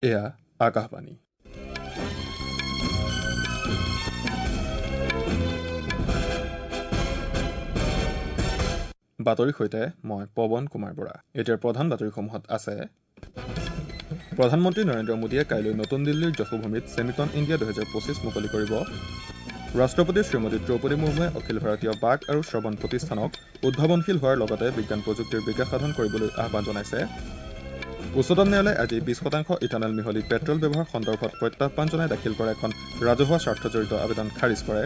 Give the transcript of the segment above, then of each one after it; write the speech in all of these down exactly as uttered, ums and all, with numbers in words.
এয়া আকাশবাণী। বাতৰিৰ সৈতে মই পৱন কুমাৰ বৰা। এতিয়াৰ প্ৰধান বাতৰিসমূহত আছে: প্ৰধানমন্ত্ৰী নৰেন্দ্ৰ মোদীয়ে কাইলৈ নতুন দিল্লীৰ যশোভূমিত ছেমিকন ইণ্ডিয়া দুহেজাৰ পঁচিছ মুকলি কৰিব। ৰাষ্ট্ৰপতি শ্ৰীমতী দ্ৰৌপদী মুৰ্মুৱে অখিল ভাৰতীয় বাক আৰু শ্ৰৱণ প্ৰতিষ্ঠানক উদ্ভাৱনশীল হোৱাৰ লগতে বিজ্ঞান প্ৰযুক্তিৰ বিকাশ সাধন কৰিবলৈ আহ্বান জনাইছে। উচ্চতম ন্যায়ালয়ে আজি বিশ শতাংশ ইথানল মিহলি পেট্ৰল ব্যৱহাৰ সন্দৰ্ভত প্ৰত্যাহ্বান জনাই দাখিল কৰা এখন ৰাজহুৱা স্বাৰ্থজড়িত আবেদন খাৰিজ কৰে।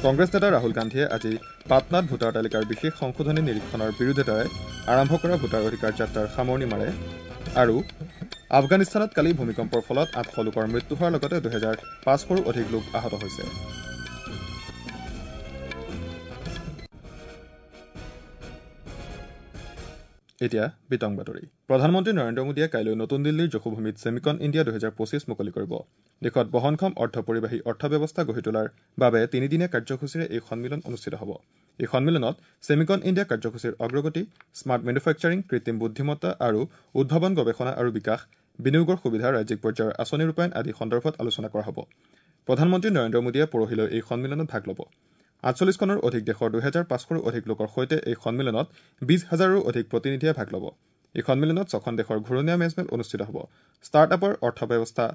কংগ্ৰেছ নেতা ৰাহুল গান্ধীয়ে আজি পাটনাত ভোটাৰ তালিকাৰ বিশেষ সংশোধনী নিৰীক্ষণৰ বিৰোধিতাৰে আৰম্ভ কৰা ভোটাৰ অধিকাৰ যাত্ৰাৰ সামৰণি মাৰে। আৰু আফগানিস্তানত কালি ভূমিকম্পৰ ফলত আঠশ লোকৰ মৃত্যু হোৱাৰ লগতে দুহেজাৰ পাঁচশৰো অধিক লোক আহত হৈছে। এতিয়া বিতং বাতৰি। প্ৰধানমন্ত্ৰী নৰেন্দ্ৰ মোদীয়ে কাইলৈ নতুন দিল্লীৰ যশোভূমিত ছেমিকন ইণ্ডিয়া দুহেজাৰ পঁচিছ মুকলি কৰিব। দেশত বহনক্ষম অৰ্ধপৰিবাহী অৰ্থব্যৱস্থা গঢ়ি তোলাৰ বাবে তিনিদিনীয়া কাৰ্যসূচীৰে এই সন্মিলন অনুষ্ঠিত হ'ব। এই সন্মিলনত ছেমিকন ইণ্ডিয়া কাৰ্যসূচীৰ অগ্ৰগতি, স্মাৰ্ট মেনুফেকচাৰিং, কৃত্ৰিম বুদ্ধিমত্তা আৰু উদ্ভাৱন গৱেষণা আৰু বিকাশ, বিনিয়োগৰ সুবিধা, ৰাজ্যিক পৰ্যায়ৰ আঁচনি ৰূপায়ণ আদি সন্দৰ্ভত আলোচনা কৰা হ'ব। প্ৰধানমন্ত্ৰী নৰেন্দ্ৰ মোদীয়ে পৰহিলৈ এই সন্মিলনত ভাগ ল'ব। আঠচল্লিছখনৰো অধিক দেশৰ দুহেজাৰ পাঁচশৰো অধিক লোকৰ সৈতে এই সন্মিলনত বিশ হাজাৰৰো অধিক প্ৰতিনিধিয়ে ভাগ ল'ব। এই সন্মিলনত ছখন দেশৰ ঘূৰণীয়া মেজমেল অনুষ্ঠিত হ'ব। ষ্টাৰ্টআপৰ অৰ্থব্যৱস্থা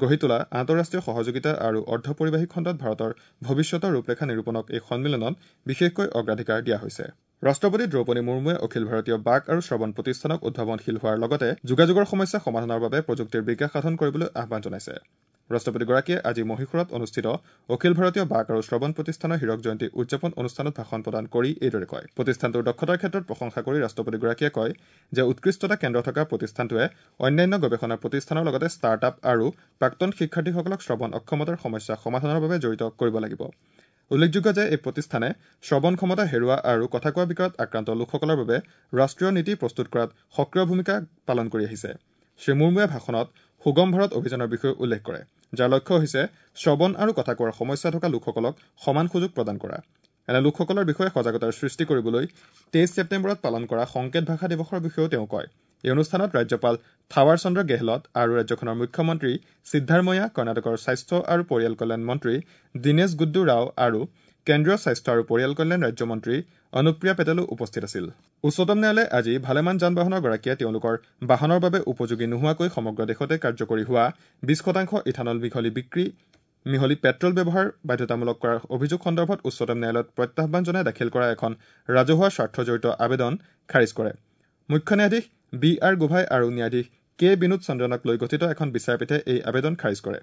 গঢ়ি তোলা, আন্তঃৰাষ্ট্ৰীয় সহযোগিতা আৰু অৰ্ধপৰিবাহী খণ্ডত ভাৰতৰ ভৱিষ্যতৰ ৰূপৰেখা নিৰূপণক এই সন্মিলনত বিশেষকৈ অগ্ৰাধিকাৰ দিয়া হৈছে। ৰাষ্ট্ৰপতি দ্ৰৌপদী মুৰ্মুৱে অখিল ভাৰতীয় বাক আৰু শ্ৰৱণ প্ৰতিষ্ঠানক উদ্ভাৱনশীল হোৱাৰ লগতে যোগাযোগৰ সমস্যা সমাধানৰ বাবে প্ৰযুক্তিৰ বিকাশ সাধন কৰিবলৈ আহ্বান জনাইছে। ৰাষ্ট্ৰপতিগৰাকীয়ে আজি মহীশূৰত অনুষ্ঠিত অখিল ভাৰতীয় বাক আৰু শ্ৰৱণ প্ৰতিষ্ঠানৰ হীৰক জয়ন্তী উদযাপন অনুষ্ঠানত ভাষণ প্ৰদান কৰি এইদৰে কয়। প্ৰতিষ্ঠানটোৰ দক্ষতাৰ ক্ষেত্ৰত প্ৰশংসা কৰি ৰাষ্ট্ৰপতিগৰাকীয়ে কয় যে উৎকৃষ্টতা কেন্দ্ৰ থকা প্ৰতিষ্ঠানটোৱে অন্যান্য গৱেষণা প্ৰতিষ্ঠানৰ লগতে ষ্টাৰ্টআপ আৰু প্ৰাক্তন শিক্ষাৰ্থীসকলক শ্ৰৱণ অক্ষমতাৰ সমস্যা সমাধানৰ বাবে জড়িত কৰিব লাগিব। উল্লেখযোগ্য যে এই প্ৰতিষ্ঠানে শ্ৰৱণ ক্ষমতা হেৰুওৱা আৰু কথা কোৱা বিকাৰত আক্ৰান্ত লোকসকলৰ বাবে ৰাষ্ট্ৰীয় নীতি প্ৰস্তুত কৰাত সক্ৰিয় ভূমিকা পালন কৰি আহিছে। শ্ৰী মুৰ্মুৱে ভাষণত সুগম ভাৰত অভিযানৰ বিষয়ে উল্লেখ কৰে, যাৰ লক্ষ্য হৈছে শ্ৰৱণ আৰু কথা কোৱাৰ সমস্যা থকা লোকসকলক সমান সুযোগ প্ৰদান কৰা। এনে লোকসকলৰ বিষয়ে সজাগতাৰ সৃষ্টি কৰিবলৈ তেইছ ছেপ্টেম্বৰত পালন কৰা সংকেত ভাষা দিৱসৰ বিষয়েও তেওঁ কয়। এই অনুষ্ঠানত ৰাজ্যপাল থাৱাৰ চন্দ্ৰ গেহলট আৰু ৰাজ্যখনৰ মুখ্যমন্ত্ৰী সিদ্ধাৰমৈয়া, কৰ্ণাটকৰ স্বাস্থ্য আৰু পৰিয়াল কল্যাণ মন্ত্ৰী দীনেশ গুড্ডু ৰাও আৰু কেন্দ্ৰীয় স্বাস্থ্য আৰু পৰিয়াল কল্যাণ ৰাজ্যমন্ত্ৰী অনুপ্ৰিয়া পেটেলো উপস্থিত আছিল। উচ্চতম ন্যায়ালয়ে আজি ভালেমান যান বাহনৰ গৰাকীয়ে তেওঁলোকৰ বাহনৰ বাবে উপযোগী নোহোৱাকৈ সমগ্ৰ দেশতে কাৰ্যকৰী হোৱা বিশ শতাংশ ইথানল মিহলি বিক্ৰী মিহলি পেট্ৰল ব্যৱহাৰ বাধ্যতামূলক কৰাৰ অভিযোগ সন্দৰ্ভত উচ্চতম ন্যায়ালয়ত প্ৰত্যাহ্বান জনাই দাখিল কৰা এখন ৰাজহুৱা স্বাৰ্থজড়িত আবেদন খাৰিজ কৰে। মুখ্য ন্যায়াধীশ বি আৰ গোভাই আৰু ন্যায়াধীশ কে বিনোদ চন্দ্ৰনক লৈ গঠিত এখন বিচাৰপীঠে এই আবেদন খাৰিজ কৰে।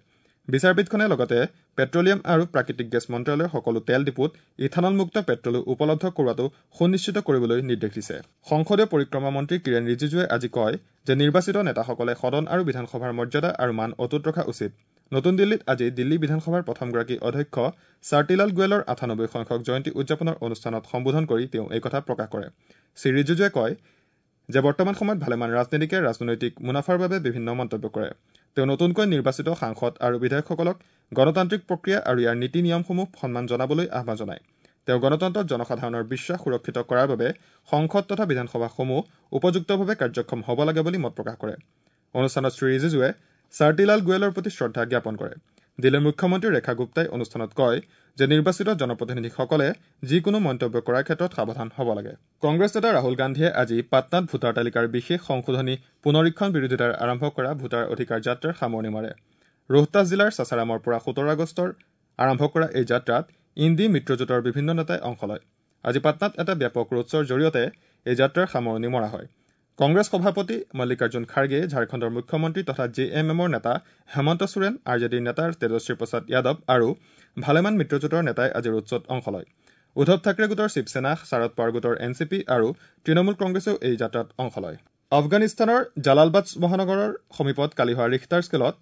বিচাৰপীঠখনে লগতে পেট্ৰলিয়াম আৰু প্ৰাকৃতিক গেছ মন্ত্ৰালয়ৰ সকলো তেল ডিপুত ইথানলমুক্ত পেট্ৰলো উপলব্ধ কৰোৱাটো সুনিশ্চিত কৰিবলৈ নিৰ্দেশ দিছে। সংসদীয় পৰিক্ৰমা মন্ত্ৰী কিৰেণ ৰিজিজুৱে আজি কয় যে নিৰ্বাচিত নেতাসকলে সদন আৰু বিধানসভাৰ মৰ্যাদা আৰু মান অটুট ৰখা উচিত। নতুন দিল্লীত আজি দিল্লী বিধানসভাৰ প্ৰথমগৰাকী অধ্যক্ষ চাৰ্টিলাল গোৱেলৰ আঠানব্বৈ সংখ্যক জয়ন্তী উদযাপনৰ অনুষ্ঠানত সম্বোধন কৰি তেওঁ এই কথা প্ৰকাশ কৰে। শ্ৰী ৰিজিজুৱে কয় যে বৰ্তমান সময়ত ভালেমান ৰাজনীতিকে ৰাজনৈতিক মুনাফাৰ বাবে বিভিন্ন মন্তব্য কৰে। তেওঁ নতুনকৈ নিৰ্বাচিত সাংসদ আৰু বিধায়কসকলক গণতান্ত্ৰিক প্ৰক্ৰিয়া আৰু ইয়াৰ নীতি নিয়মসমূহ সন্মান জনাবলৈ আহ্বান জনায়। তেওঁ গণতন্ত্ৰত জনসাধাৰণৰ বিশ্বাস সুৰক্ষিত কৰাৰ বাবে সংসদ তথা বিধানসভাসমূহ উপযুক্তভাৱে কাৰ্যক্ষম হ'ব লাগে বুলি মত প্ৰকাশ কৰে। অনুষ্ঠানত শ্ৰী ৰিজিজুৱে চাৰ্টিলাল গোৱেলৰ প্ৰতি শ্ৰদ্ধা জ্ঞাপন কৰে। দিল্লীৰ মুখ্যমন্ত্ৰী ৰেখা গুপ্তাই অনুষ্ঠানত কয় যে নিৰ্বাচিত জনপ্ৰতিনিধিসকলে যিকোনো মন্তব্য কৰাৰ ক্ষেত্ৰত সাৱধান হ'ব লাগে। কংগ্ৰেছ নেতা ৰাহুল গান্ধীয়ে আজি পাটনাত ভোটাৰ তালিকাৰ বিশেষ সংশোধনী পুনৰীক্ষণ বিৰোধিতাৰে আৰম্ভ কৰা ভোটাৰ অধিকাৰ যাত্ৰাৰ সামৰণি মাৰে। ৰোহতাছ জিলাৰ চাচাৰামৰ পৰা সোতৰ আগষ্টৰ আৰম্ভ কৰা এই যাত্ৰাত ইণ্ডি মিত্ৰজোঁটৰ বিভিন্ন নেতাই অংশ লয়। আজি পাটনাত এটা ব্যাপক ৰোড শ্ব'ৰ জৰিয়তে এই যাত্ৰাৰ সামৰণি মৰা হয়। কংগ্ৰেছ সভাপতি মল্লিকাৰ্জুন খাৰ্গে, ঝাৰখণ্ডৰ মুখ্যমন্ত্ৰী তথা জে এম এমৰ নেতা হেমন্ত সোৰেন, আৰ জে ডিৰ নেতা তেজস্বী প্ৰসাদ যাদৱ আৰু ভালেমান মিত্ৰজোঁটৰ নেতাই আজি ৰোড শ্ব'ত অংশ লয়। উদ্ধৱ থাকৰে গোটৰ শিৱসেনা, শাৰদ পাৱাৰ গোটৰ এন চি পি আৰু তৃণমূল কংগ্ৰেছেও এই যাত্ৰাত অংশ লয়। আফগানিস্তানৰ জালালবাদ মহানগৰৰ সমীপত কালি হোৱা ৰিখটাৰ স্কেলত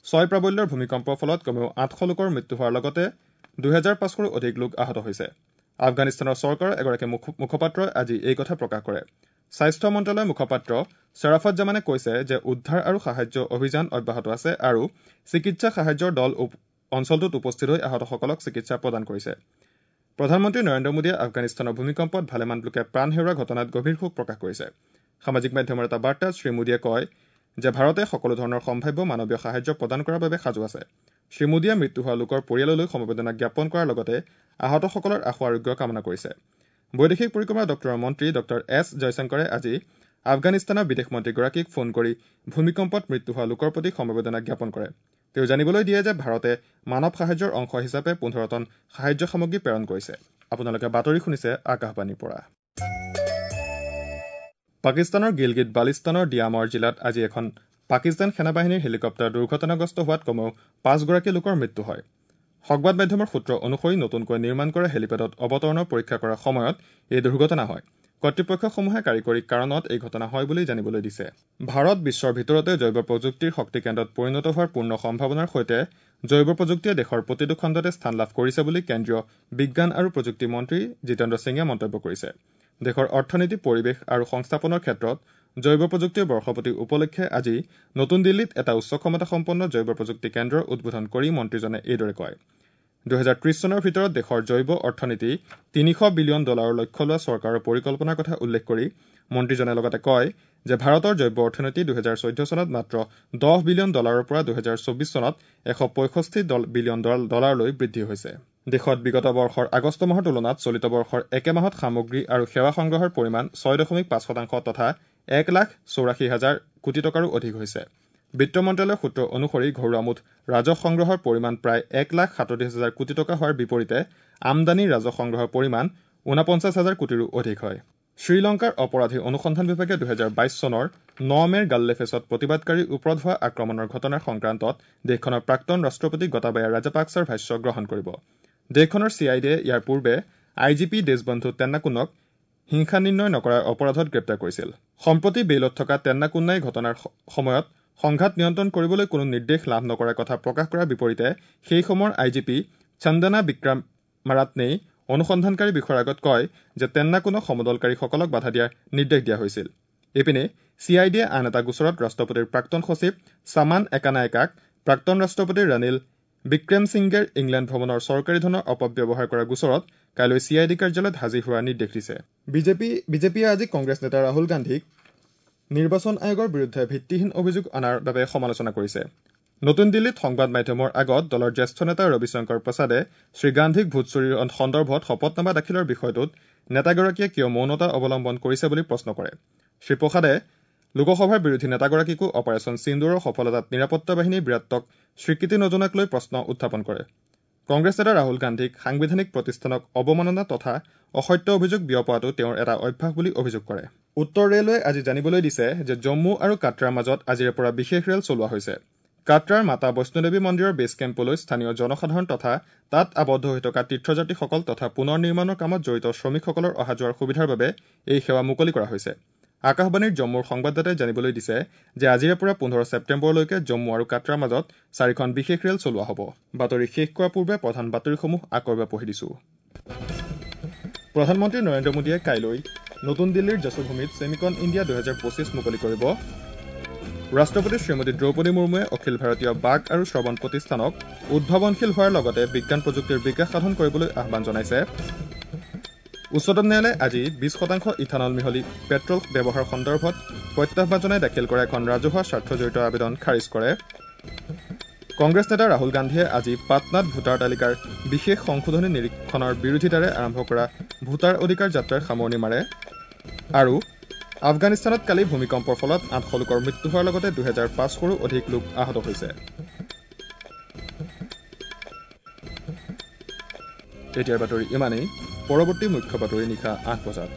ছয় প্ৰাবল্যৰ ভূমিকম্পৰ ফলত কমেও আঠশ লোকৰ মৃত্যু হোৱাৰ লগতে দুহেজাৰ পাঁচশৰো অধিক লোক আহত হৈছে। আফগানিস্তানৰ চৰকাৰৰ এগৰাকী মুখপাত্ৰই আজি এই কথা প্ৰকাশ কৰে। স্বাস্থ্য মন্ত্ৰালয়ৰ মুখপাত্ৰ শ্বাৰাফত জামানে কৈছে যে উদ্ধাৰ আৰু সাহায্য অভিযান অব্যাহত আছে আৰু চিকিৎসা সাহায্যৰ দল অঞ্চলটোত উপস্থিত হৈ আহতসকলক চিকিৎসা প্ৰদান কৰিছে। প্ৰধানমন্ত্ৰী নৰেন্দ্ৰ মোদীয়ে আফগানিস্তানৰ ভূমিকম্পত ভালেমান লোকে প্ৰাণ হেৰুওৱা ঘটনাত গভীৰ শোক প্ৰকাশ কৰিছে। সামাজিক মাধ্যমৰ এটা বাৰ্তাত শ্ৰী মোদীয়ে কয় যে ভাৰতে সকলো ধৰণৰ সম্ভাৱ্য মানৱীয় সাহায্য প্ৰদান কৰাৰ বাবে সাজু আছে। শ্ৰীমোদীয়ে মৃত্যু হোৱা লোকৰ পৰিয়াললৈ সমবেদনা জ্ঞাপন কৰাৰ লগতে আহতসকলৰ আশু আৰোগ্য কামনা কৰিছে। বৈদেশিক পৰিক্ৰমা দপ্তৰৰ মন্ত্ৰী ডক্টৰ এছ জয়শংকৰে আজি আফগানিস্তানৰ বিদেশ মন্ত্ৰীগৰাকীক ফোন কৰি ভূমিকম্পত মৃত্যু হোৱা লোকৰ প্ৰতি সমবেদনা জ্ঞাপন কৰে। তেওঁ জানিবলৈ দিয়ে যে ভাৰতে মানৱ সাহায্যৰ অংশ হিচাপে পোন্ধৰ টন সাহায্য সামগ্ৰী প্ৰেৰণ কৰিছে। আপোনালোকে বাতৰি শুনিছে আকাশবাণীৰ পৰা। পাকিস্তানৰ গিলগিট বালিস্তানৰ দিয়ামৰ জিলাত আজি এখন পাকিস্তান সেনাবাহিনীৰ হেলিকপ্টাৰ দুৰ্ঘটনাগ্ৰস্ত হোৱাত কমেও পাঁচগৰাকী লোকৰ মৃত্যু হয়। সংবাদ মাধ্যমৰ সূত্ৰ অনুসৰি নতুনকৈ নিৰ্মাণ কৰা হেলিপেডত অৱতৰণৰ পৰীক্ষা কৰাৰ সময়ত এই দুৰ্ঘটনা হয়। কৰ্তৃপক্ষসমূহে কাৰিকৰী কাৰণত এই ঘটনা হয় বুলি জানিবলৈ দিছে। ভাৰত বিশ্বৰ ভিতৰতে জৈৱ প্ৰযুক্তিৰ শক্তি কেন্দ্ৰত পৰিণত হোৱাৰ পূৰ্ণ সম্ভাৱনাৰ সৈতে জৈৱ প্ৰযুক্তিয়ে দেশৰ প্ৰতিটো খণ্ডতে স্থান লাভ কৰিছে বুলি কেন্দ্ৰীয় বিজ্ঞান আৰু প্ৰযুক্তি মন্ত্ৰী জিতেন্দ্ৰ সিঙে মন্তব্য কৰিছে। দেশৰ অৰ্থনীতি, পৰিৱেশ আৰু সংস্থাপনৰ ক্ষেত্ৰত জৈৱ প্ৰযুক্তিৰ বৰ্ষপতি উপলক্ষে আজি নতুন দিল্লীত এটা উচ্চ ক্ষমতাসম্পন্ন জৈৱ প্ৰযুক্তি কেন্দ্ৰৰ উদ্বোধন কৰি মন্ত্ৰীজনে এইদৰে কয়। দুহেজাৰ ত্ৰিশ চনৰ ভিতৰত দেশৰ জৈৱ অৰ্থনীতি তিনিশ বিলিয়ন ডলাৰৰ লক্ষ্য লোৱা চৰকাৰৰ পৰিকল্পনাৰ কথা উল্লেখ কৰি মন্ত্ৰীজনে লগতে কয় যে ভাৰতৰ জৈৱ অৰ্থনীতি দুহেজাৰ চৈধ্য চনত মাত্ৰ দহ বিলিয়ন ডলাৰৰ পৰা দুহেজাৰ চৌবিশ চনত এশ পঁয়ষষ্ঠি বিলিয়ন ডলাৰলৈ বৃদ্ধি হৈছে। দেশত বিগত বৰ্ষৰ আগষ্ট মাহৰ তুলনাত চলিত বৰ্ষৰ একে মাহত সামগ্ৰী আৰু সেৱা সংগ্ৰহৰ পৰিমাণ ছয় দশমিক পাঁচ শতাংশ তথা এক লাখ চৌৰাশী হাজাৰ কোটি টকাৰো অধিক হৈছে। বিত্ত মন্ত্ৰালয়ৰ সূত্ৰ অনুসৰি ঘৰুৱা মুঠ ৰাজহ সংগ্ৰহৰ পৰিমাণ প্ৰায় এক লাখ সাতত্ৰিশ হাজাৰ কোটি টকা হোৱাৰ বিপৰীতে আমদানি ৰাজহ সংগ্ৰহৰ পৰিমাণ ঊনপঞ্চাছ হাজাৰ কোটিৰো অধিক হয়। শ্ৰীলংকাৰ অপৰাধী অনুসন্ধান বিভাগে দুহেজাৰ বাইছ চনৰ ন মে'ৰ গাল্লেফেছত প্ৰতিবাদকাৰীৰ ওপৰত হোৱা আক্ৰমণৰ ঘটনাৰ সংক্ৰান্তত দেশখনৰ প্ৰাক্তন ৰাষ্ট্ৰপতি গটাবায়া ৰাজাপাকছাৰ ভাষ্য গ্ৰহণ কৰিব। দেশখনৰ চি I ডিয়ে ইয়াৰ পূৰ্বে I G P Deshbandhu তেন্নাকুনক হিংসা নিৰ্ণয় নকৰাৰ অপৰাধত গ্ৰেপ্তাৰ কৰিছিল। সম্প্ৰতি বেইলত থকা তেন্নাকুন্নাই ঘটনাৰ সময়ত সংঘাত নিয়ন্ত্ৰণ কৰিবলৈ কোনো নিৰ্দেশ লাভ নকৰাৰ কথা প্ৰকাশ কৰাৰ বিপৰীতে সেই সময়ৰ I G P চন্দনা বিক্ৰমাৰাত্নেই অনুসন্ধানকাৰী বিষয়াৰ আগত কয় যে তেন্নাকুনক সমদলকাৰীসকলক বাধা দিয়াৰ নিৰ্দেশ দিয়া হৈছিল। ইপিনে চি I ডিয়ে আন এটা গোচৰত ৰাষ্ট্ৰপতিৰ প্ৰাক্তন সচিব চামান একানায়কাক প্ৰাক্তন ৰাষ্ট্ৰপতি ৰনিল বিক্ৰমসিংগেৰ ইংলেণ্ড ভ্ৰমণৰ চৰকাৰী ধনৰ অপব্যৱহাৰ কৰা গোচৰত কাইলৈ চি I D কাৰ্যালয়ত হাজিৰ হোৱাৰ নিৰ্দেশ দিছে। বিজেপি বিজেপিয়ে আজি কংগ্ৰেছ নেতা ৰাহুল গান্ধীক নিৰ্বাচন আয়োগৰ বিৰুদ্ধে ভিত্তিহীন অভিযোগ অনাৰ বাবে সমালোচনা কৰিছে। নতুন দিল্লীত সংবাদ মাধ্যমৰ আগত দলৰ জ্যেষ্ঠ নেতা ৰবিশংকৰ প্ৰসাদে শ্ৰীগান্ধীক ভোট চুৰিৰ সন্দৰ্ভত শপতনামা দাখিলৰ বিষয়টোত নেতাগৰাকীয়ে কিয় মৌনতা অৱলম্বন কৰিছে বুলি প্ৰশ্ন কৰে। শ্ৰীপ্ৰসাদে লোকসভাৰ বিৰোধী নেতাগৰাকীকো অপাৰেচন সিন্দুৰৰ সফলতাত নিৰাপত্তা বাহিনীৰ বীৰত্বক স্বীকৃতি নজনাক লৈ প্ৰশ্ন উত্থাপন কৰে। কংগ্ৰেছ নেতা ৰাহুল গান্ধীক সাংবিধানিক প্ৰতিষ্ঠানক অৱমাননা তথা অসত্য অভিযোগ বিয়পোৱাটো তেওঁৰ এটা অভ্যাস বুলি অভিযোগ কৰে। উত্তৰ ৰেলৱে আজি জানিবলৈ দিছে যে জম্মু আৰু কাটৰাৰ মাজত আজিৰে পৰা বিশেষ ৰেল চলোৱা হৈছে। কাটৰাৰ মাতা বৈষ্ণোদেৱী মন্দিৰৰ বেছ কেম্পলৈ স্থানীয় জনসাধাৰণ তথা তাত আবদ্ধ হৈ থকা তীৰ্থযাত্ৰীসকল তথা পুনৰ নিৰ্মাণৰ কামত জড়িত শ্ৰমিকসকলৰ অহা যোৱাৰ সুবিধাৰ বাবে এই সেৱা মুকলি কৰা হৈছে। আকাশবাণীৰ জম্মুৰ সংবাদদাতাই জানিবলৈ দিছে যে আজিৰে পৰা পোন্ধৰ ছেপ্টেম্বৰলৈকে জম্মু আৰু কাটৰাৰ মাজত চাৰিখন বিশেষ ৰেল চলোৱা হ'ব। বাতৰি শেষ কৰাৰ পূৰ্বে প্ৰধান বাতৰিসমূহ আকৌ এবাৰ পঢ়ি দিছো। প্ৰধানমন্ত্ৰী নৰেন্দ্ৰ মোদীয়ে কাইলৈ নতুন দিল্লীৰ যশোভূমিত ছেমিকন ইণ্ডিয়া দুহেজাৰ পঁচিছ মুকলি কৰিব। ৰাষ্ট্ৰপতি শ্ৰীমতী দ্ৰৌপদী মুৰ্মুৱে অখিল ভাৰতীয় বাক আৰু শ্ৰৱণ প্ৰতিষ্ঠানক উদ্ভাৱনশীল হোৱাৰ লগতে বিজ্ঞান প্ৰযুক্তিৰ বিকাশ সাধন কৰিবলৈ আহ্বান জনাইছে। উচ্চতম ন্যায়ালয়ে আজি বিশ শতাংশ ইথানল মিহলি পেট্ৰল ব্যৱহাৰ সন্দৰ্ভত প্ৰত্যাহ্বান জনাই দাখিল কৰা এখন ৰাজহুৱা স্বাৰ্থজড়িত আবেদন খাৰিজ কৰে। কংগ্ৰেছ নেতা ৰাহুল গান্ধীয়ে আজি পাটনাত ভোটাৰ তালিকাৰ বিশেষ সংশোধনী নিৰীক্ষণৰ বিৰোধিতাৰে আৰম্ভ কৰা ভোটাৰ অধিকাৰ যাত্ৰাৰ সামৰণি মাৰে। আৰু আফগানিস্তানত কালি ভূমিকম্পৰ ফলত আঠশ লোকৰ মৃত্যু হোৱাৰ লগতে দুহেজাৰ পাঁচশৰো অধিক লোক আহত হৈছে। এতিয়াৰ বাতৰি ইমানেই। পৰৱৰ্তী মুখ্য বাতৰি নিশা আঠ বজাত।